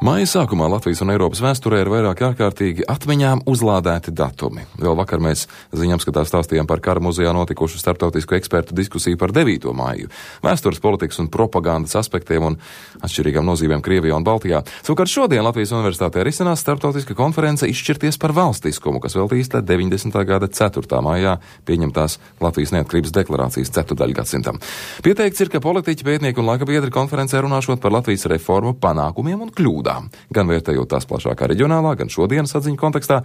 Māja sākumā Latvijas un Eiropas vēsturē ir vairāk ārkārtīgi atmiņām uzlādēti datumi. Vēl vakar mēs ziņapskatā stāstījām par kara muzejā notikušu starptautisku ekspertu diskusiju par 9. māju, vēstures, politikas un propagandas aspektiem un atšķirīgām nozīmēm Krievijā un Baltijā. Savukārt šodien Latvijas universitātē risinās starptautiska konference Izšķirties par valstiskumu, kas veltīta 90. gada 4. maijā pieņemtās Latvijas neatkarības deklarācijas ceturdaļgadsimtam. Pieteikts ir, ka politiķi, pētnieki un laikabiedri konferencē runāšot par Latvijas reformu panākumiem un kļūdām. Gan vērtējot tās plašākā reģionālā, gan šodienas atziņu kontekstā,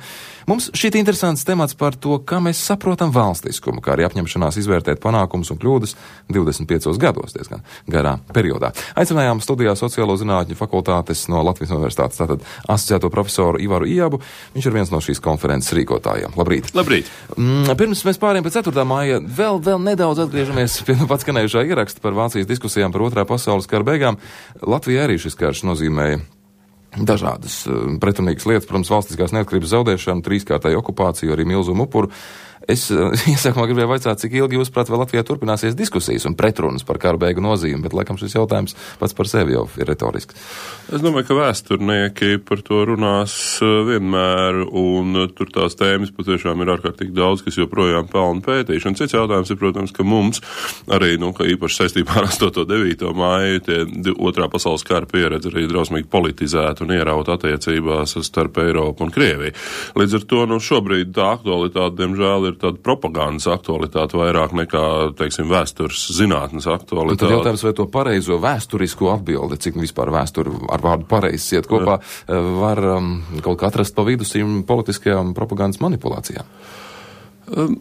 mums šķiet interesants temats par to, kā mēs saprotam valstiskumu, kā arī apņemšanās izvērtēt panākumus un kļūdas 25 gados, diezgan garā periodā. Aicinājām studijā sociālo zinātņu fakultātes no Latvijas universitātes, tātad asociēto profesoru Ivaru Ijabu. Viņš ir viens no šīs konferences rīkotājiem. Labrīt! Labrīt! Pirms mēs pārējām pie 4. māja, vēl nedaudz atgriežamies pie pats skanējušā ieraksta par Vācijas diskusijām par 2. pasaules kara beigām. Latvijā arī šis karš nozīmēja dažādas pretrunīgas lietas, protams, valstiskās neatkarības zaudēšanu, 3-kārtēju okupāciju, arī milzumu upuru. Es iesākumā gribēju vaicāt, cik ilgi jūs prāt vēl Latvijā turpināsies diskusijas un pretrunas par kara beigu nozīmi, bet laikam šis jautājums pats par sevi jau ir retorisks. Es domāju, ka vēsturnieki par to runās vienmēr, un tur tās tēmas patiešām ir ārkārtīgi daudz, kas joprojām pelna pētīšanu. Cits jautājums ir, protams, ka mums arī, ka īpaši saistībā ar 8. 9. māju, tie 2. pasaules kara pieredze arī drausmīgi politizēta un ierauta attiecībās starp Eiropu un Krieviju. Līdz ar to, šobrīd tā aktualitāte, diemžēl, ir tāda propagandas aktualitāte vairāk nekā, teiksim, vēstures zinātnes aktualitāte. Un tad jautājums, vai to pareizo vēsturisko atbildi, cik vispār vēsturi ar vārdu pareizs iet kopā, var kaut kā atrast pa vidu šīm politiskajām propagandas manipulācijām?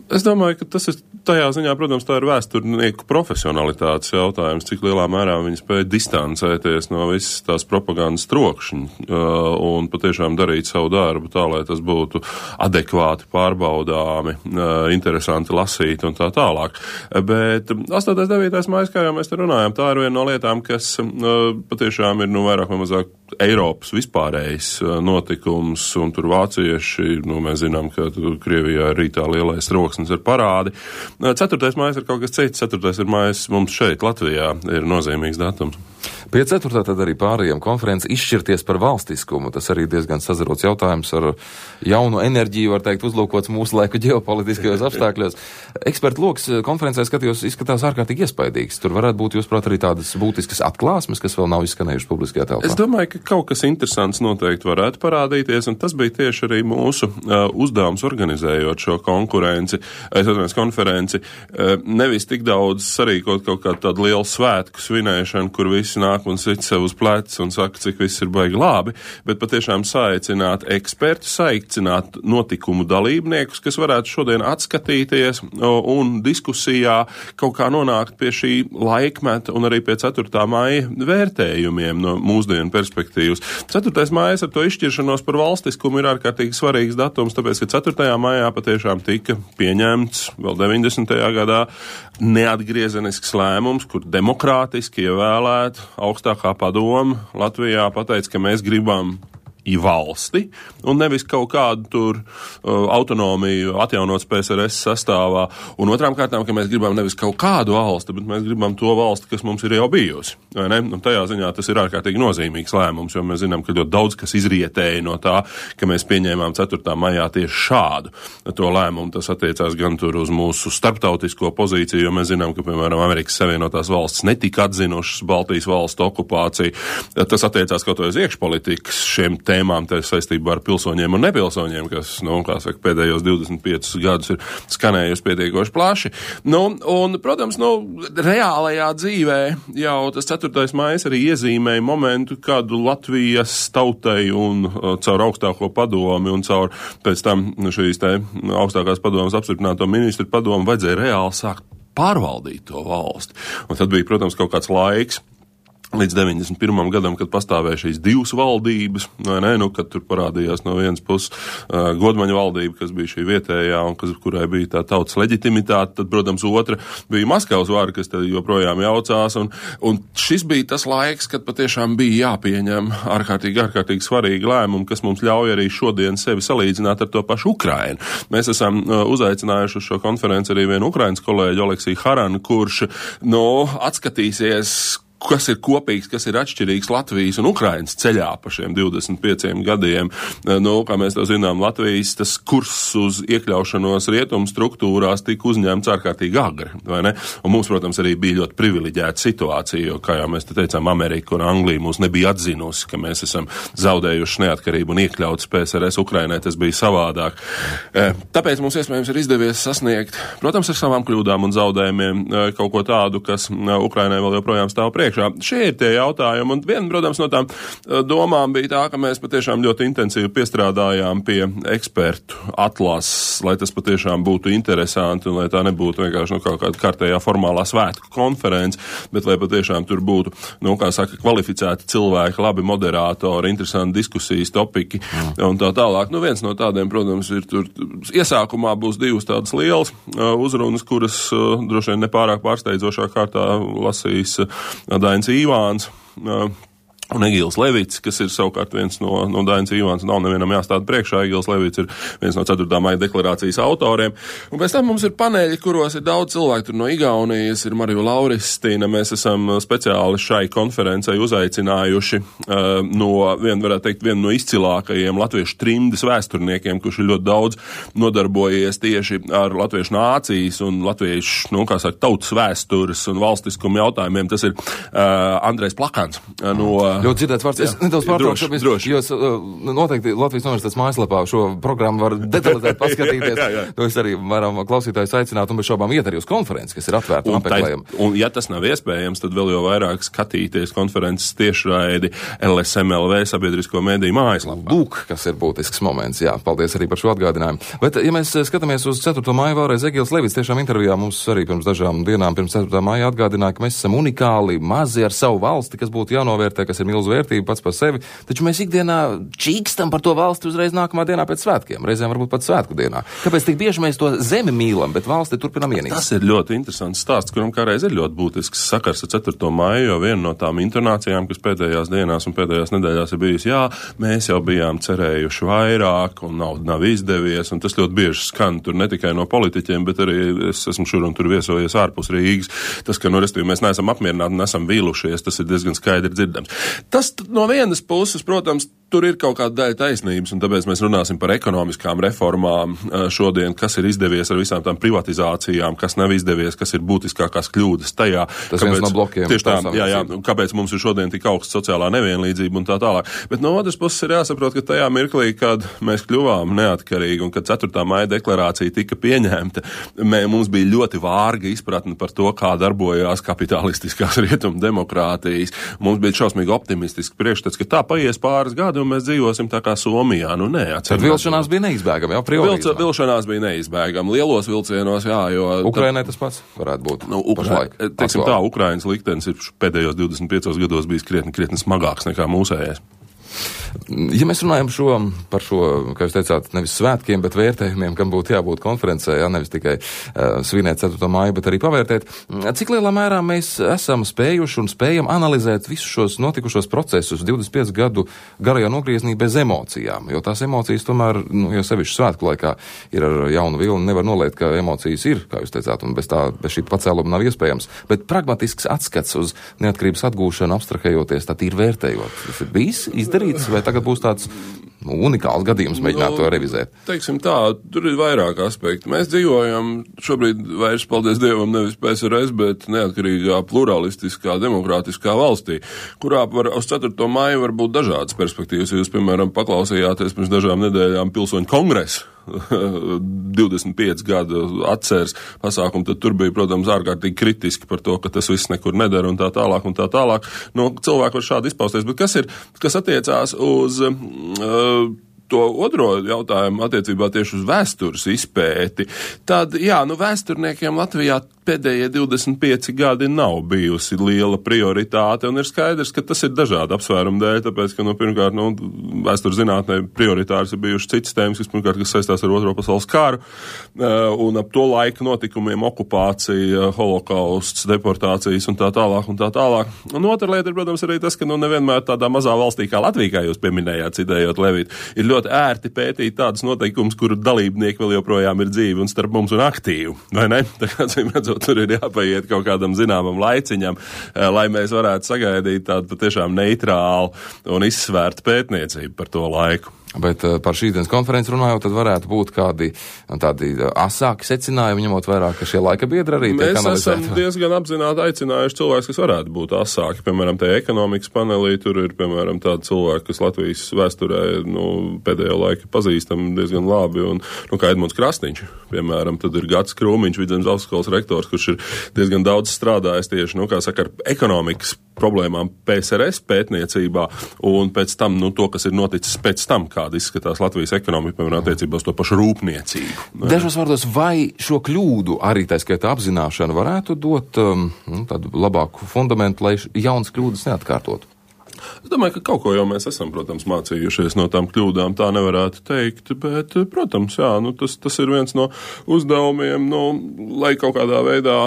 Es domāju, ka tas ir tajā ziņā, protams, tā ir vēsturnieku profesionalitātes jautājums, cik lielā mērā viņi spēja distancēties no visas tās propagandas trokšņa un patiešām darīt savu darbu tā, lai tas būtu adekvāti pārbaudāmi, interesanti lasīt un tā tālāk. Bet 8. 9. mājas, kā jau mēs te runājam, tā ir viena no lietām, kas patiešām ir vairāk vai mazāk Eiropas vispārējais notikums, un tur vācieši, mēs zinām, ka Krievijā ir rītā lielais troksnis ir parādi. 4. mājas ir kaut kas cits, 4. mājas mums šeit, Latvijā, ir nozīmīgs datums. Pie 4. tad arī pārējiem konferenci Izšķirties par valstiskumu. Tas arī diezgan sazarots jautājums ar jaunu enerģiju, var teikt, uzlūkots mūsu laiku ģeopolitiskajos apstākļos. Ekspertu loks konferencē izskatās ārkārtīgi iespaidīgs. Tur varētu būt, jūsuprāt, arī tādas būtiskas atklāsmes, kas vēl nav izskanējušas publiskajā telpā. Es domāju, ka kaut kas interesants noteikti varētu parādīties, un tas bija tieši arī mūsu uzdevums organizējot šo konferenci. Nevis tik daudz sarīkot kaut kādu tādu lielu svētku svinēšanu, kur visi nāk un sit sev uz pleca un saka, cik viss ir baigi labi, bet patiešām saaicināt ekspertus, saaicināt notikumu dalībniekus, kas varētu šodien atskatīties un diskusijā kaut kā nonākt pie šī laikmeta un arī pie 4. māja vērtējumiem no mūsdienu perspektīvas. 4. mājas ar to izšķiršanos par valstiskumu ir ārkārtīgi svarīgs datums, tāpēc, ka 4. maijā patiešām tika pieņemts vēl 90. gadā neatgriezenisks lēmums, kur demokrātiski ievēlēt augstākā padoma Latvijā pateica, ka mēs gribam valsti un nevis kaut kādu tur autonomiju atjaunot PSRS sastāvā. Un otrām kārtām, ka mēs gribam nevis kaut kādu valsti, bet mēs gribam to valsti, kas mums ir jau bijusi. Vai ne? Un tajā ziņā tas ir ārkārtīgi nozīmīgs lēmums, jo mēs zinām, ka ļoti daudz kas izrietēja no tā, ka mēs pieņēmām 4. maijā tieši šādu to lēmumu. Tas attiecās gan tur uz mūsu starptautisko pozīciju, jo mēs zinām, ka, piemēram, Amerikas Savienotās valsts netika atzinušas Baltijas valstu okupāciju. Tas attiecās kaut vai uz iekšpolitikas šiem tēmām saistībā ar pilsoņiem un nepilsoņiem, kas, pēdējos 25 gadus ir skanējusi pietiekoši plaši. Un, protams, reālajā dzīvē jau tas 4. maijs arī iezīmēja momentu, kādu Latvijas tautai un caur augstāko padomi un caur pēc tam šīs augstākās padomas apstiprināto ministru padomu vajadzēja reāli sākt pārvaldīt to valsti. Un tad bija, protams, kaut kāds laiks, līdz 91. gadam, kad pastāvēja šīs divas valdības, kad tur parādījās no vienas puses Godmaņa valdība, kas bija šī vietējā un kurai bija tā tautas leģitimitāte, tad, protams, otra bija Maskavas vara, kas tad joprojām jaucās, un šis bija tas laiks, kad patiešām bija jāpieņem ārkārtīgi svarīgi lēmumi, kas mums ļauj arī šodien sevi salīdzināt ar to pašu Ukrainu. Mēs esam uzaicinājuši uz šo konferenci arī vienu Ukrainas kolēģi Oleksiju Haranu, kurš, atskatīsies, kas ir kopīgs, kas ir atšķirīgs Latvijas un Ukrainas ceļā pa šiem 25 gadiem. Nu, kā mēs to zinām, Latvijas tas kurs uz iekļaušanos rietumu struktūrās tika uzņemts ārkārtīgi agri, vai ne? Un mums, protams, arī bija ļoti privileģēta situācija, jo, kā jau mēs te teicām, Amerika un Anglija mūs nebija atzinusi, ka mēs esam zaudējuši neatkarību un iekļauts PSRS. Ukrainai tas bija savādāk. Tāpēc mums iespējams ir izdevies sasniegt, protams, ar savām kļūdām un zaudējumiem kaut ko tādu, kas Ukrainai vēl joprojām stāv priekšā. Šie ir tie jautājumi, un viena, protams, no tām domām bija tā, ka mēs patiešām ļoti intensīvi piestrādājām pie ekspertu atlases, lai tas patiešām būtu interesanti un lai tā nebūtu vienkārši kaut kāda kārtējā formālā svētku konference, bet lai patiešām tur būtu, kā saka, kvalificēti cilvēki, labi moderātori, interesanti diskusijas topiki un tā tālāk. Viens no tādiem, protams, ir tur iesākumā būs divas tādas lielas uzrunas, kuras droši vien nepārāk pārsteidzošā kārtā lasīs Dainis Ivāns un Egils Levits, kas ir savukārt viens no Dainis Ivāns, nav nevienam jāstāda priekšā. Egils Levits ir viens no 4. maija deklarācijas autoriem. Un pēc tam mums ir paneļi, kuros ir daudz cilvēku, tur no Igaunijas, ir Marija Lauristīna. Mēs esam speciāli šai konferencei uzaicinājuši vienu no izcilākajiem latviešu trimdes vēsturniekiem, kurš ir ļoti daudz nodarbojies tieši ar latviešu nācijas un latviešu, tautas vēstures un valstiskumu jautājumiem. Tas ir Andrejs Plakans Ļoti dzirdēts vārds. Es nedaudz pārtraukšu, jo noteikti Latvijas universitātes mājaslapā šo programmu var detalizēt paskatīties. jā. To es arī varam klausītājus aicināt un bez šaubām iet arī uz konferenci, kas ir atvērta un apmeklējama. Un ja tas nav iespējams, tad vēl jau vairāk skatīties konferences tiešraidi LSMLV sabiedrisko mediju mājaslapā. Lūk, kas ir būtisks moments. Jā, paldies arī par šo atgādinājumu. Bet, ja mēs skatāmies uz 4. maiju, vēlreiz Egils Levits tiešām intervijā mums arī pirms dažām dienām, pirms 4. maija atgādināja, ka mēs esam unikāli, mazi ar savu valsti, kas būtu jānovērtē, kas ir milzu vērtība pats par sevi, taču mēs ikdienā čīkstam par to valsti uzreiz nākamā dienā pēc svētkiem, reizēm varbūt pat svētku dienā. Kāpēc tik bieži mēs to zemi mīlam, bet valsti turpinām ienīst? Tas ir ļoti interesants stāsts, kuram kādreiz ir ļoti būtisks sakars ar 4. maiju, jo viena no tām intonācijām, kas pēdējās dienās un pēdējās nedēļās ir bijusi, jā, mēs jau bijām cerējuši vairāk un nav izdevies, un tas ļoti bieži skan tur ne tikai no politiķiem, bet arī es esmu šur un tur viesojies ārpus Rīgas. Tas, ka, mēs neesam apmierināti un esam vīlušies, tas ir diezgan skaidri dzirdams. Tas no vienas puses, protams, tur ir kaut kāda daļa taisnības, un tāpēc mēs runāsim par ekonomiskām reformām šodien, kas ir izdevies ar visām tām privatizācijām, kas nav izdevies, kas ir būtiskākās kļūdas tajā. Tas viens no blokiem. Tieši tā, jā, kāpēc mums ir šodien tik augsta sociālā nevienlīdzība un tā tālāk. Bet no otras puses ir jāsaprot, ka tajā mirklī, kad mēs kļuvām neatkarīgi un kad 4. maija deklarācija tika pieņemta, mums bija ļoti vārga izpratne par to, kā darbojās kapitalistiskās rietumu demokrātijas. Mums bija šausmīgi optimistiski priekšstats, ka tā paies pāris gadi un mēs dzīvosim tā kā Somijā. Tad vilšanās bija neizbēgama, jā, priori. Vilšanās bija neizbēgama. Lielos vilcienos, jā, jo... Ukrainai tas pats varētu būt. Pašlaik. Teiksim tā, Ukrainas liktenis ir pēdējos 25 gados bijis krietni smagāks nekā mūsējais. Ja mēs runājam par šo, kā jūs teicāt, nevis svētkiem, bet vērtējumiem, kam būtu jābūt konferencē, nevis tikai svinēt 4. maiju, bet arī pavērtēt, cik lielā mērā mēs esam spējuši un spējam analizēt visus šos notikušos procesus 25 gadu garajā nogrieznī bez emocijām, jo tās emocijas tomēr, jo sevišķi svētku laikā ir ar jaunu vilni, nevar noliekt, ka emocijas ir, kā jūs teicāt, un bez šī pacēluma nav iespējams, bet pragmatisks atskats uz neatkarības atgūšanu, abstrahējoties, tā tīri vērtējot. Tas ir bijis izdarīts, vai tagad būs tāds unikāls gadījums mēģināt to revizēt? Teiksim tā, tur ir vairāk aspekti. Mēs dzīvojam šobrīd vairs, paldies Dievam, nevis PSRS, bet neatkarīgā, pluralistiskā, demokrātiskā valstī, kurā uz 4. maiju var būt dažādas perspektīvas. Jūs, piemēram, paklausījāties pirms dažām nedēļām Pilsoņu kongresu 25 gadu atceres pasākumu, tad tur bija, protams, ārkārtīgi kritiski par to, ka tas viss nekur nedara un tā tālāk un tā tālāk. Cilvēki var šādi izpausties, bet kas attiecās uz to otro jautājumu attiecībā tieši uz vēstures izpēti, tad, jā, vēsturniekiem Latvijā pēdējie 25 gadi nav bijusi liela prioritāte, un ir skaidrs, ka tas ir dažādu apsvērumu dēļ, tāpēc, ka, pirmkārt, vēstures zinātnē prioritārs ir bijuši citas tēmas, kas saistās ar Otro pasaules karu, un ap to laika notikumiem okupācija, holokausts, deportācijas un tā tālāk un tā tālāk. Un otra lieta ir, protams, arī tas, ka, nevienmēr tādā mazā valstī kā Latvija, kā jūs pieminējāt, citējot Levītu, ir ļoti ērti pētīt tādus noteikumus, kuru dalībnieki vēl joprojām ir dzīvi un starp mums un aktīvi, vai ne? Tā kā, redzot, tur ir jāpaiet kaut kādam zināmam laiciņam, lai mēs varētu sagaidīt tādu patiešām neitrālu un izsvērtu pētniecību par to laiku. Bet par šīsdienas konferenci runājot, tad varētu būt kādi tādi asāki secinājumi, ņemot vērā, ka šie laika biedri arī tiek analizēti. Mēs esam diezgan apzināti aicinājuši cilvēkus, kas varētu būt asāki. Piemēram, tajā ekonomikas panelī tur ir, piemēram, tādi cilvēki, kas Latvijas vēsturē, pēdējo laiku pazīstam diezgan labi, un, kā Edmunds Krasniņš, piemēram, tad ir Gatis Krūmiņš, Vidzemes augstskolas rektors, kurš ir diezgan daudz strādājis tieši, ar ekonomikas problēmām PSRS pētniecībā, un pēc tam, to, kas ir noticis pēc tam, kāda izskatās Latvijas ekonomika, piemēram, attiecībā uz to pašu rūpniecību. Dažos vārdos, vai šo kļūdu arī tā skaitā apzināšana varētu dot tādu labāku fundamentu, lai jaunas kļūdas neatkārtotu? Es domāju, ka kaut ko jau mēs esam, protams, mācījušies no tām kļūdām, tā nevarētu teikt, bet, protams, jā, tas ir viens no uzdevumiem, lai kaut kādā veidā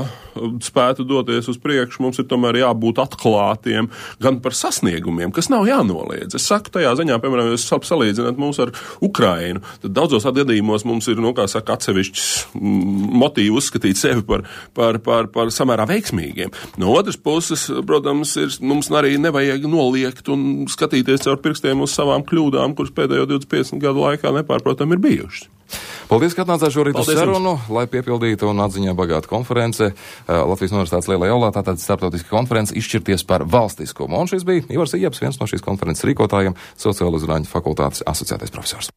spētu doties uz priekšu, mums ir tomēr jābūt atklātiem gan par sasniegumiem, kas nav jānoliedz. Es saku tajā ziņā, piemēram, ja jūs salīdzināt mūs ar Ukrainu, tad daudzos gadījumos mums ir, atsevišķs motīvi uzskatīt sevi par samērā veiksmīgiem. No otras puses, protams, mums arī nevajag noliegt un skatīties caur pirkstiem uz savām kļūdām, kuras pēdējo 25 gadu laikā nepārprotam ir bijušas. Paldies, ka atnācāt šorīt uz sarunu, lai piepildītu un atziņā bagātu konference. Latvijas Universitātes Lielajā aulā, tātad starptautiska konference izšķirties par valstiskumu. Un šis bija Ivars Ieps, viens no šīs konferences rīkotājiem, Sociālo zinātņu fakultātes asociētais profesors.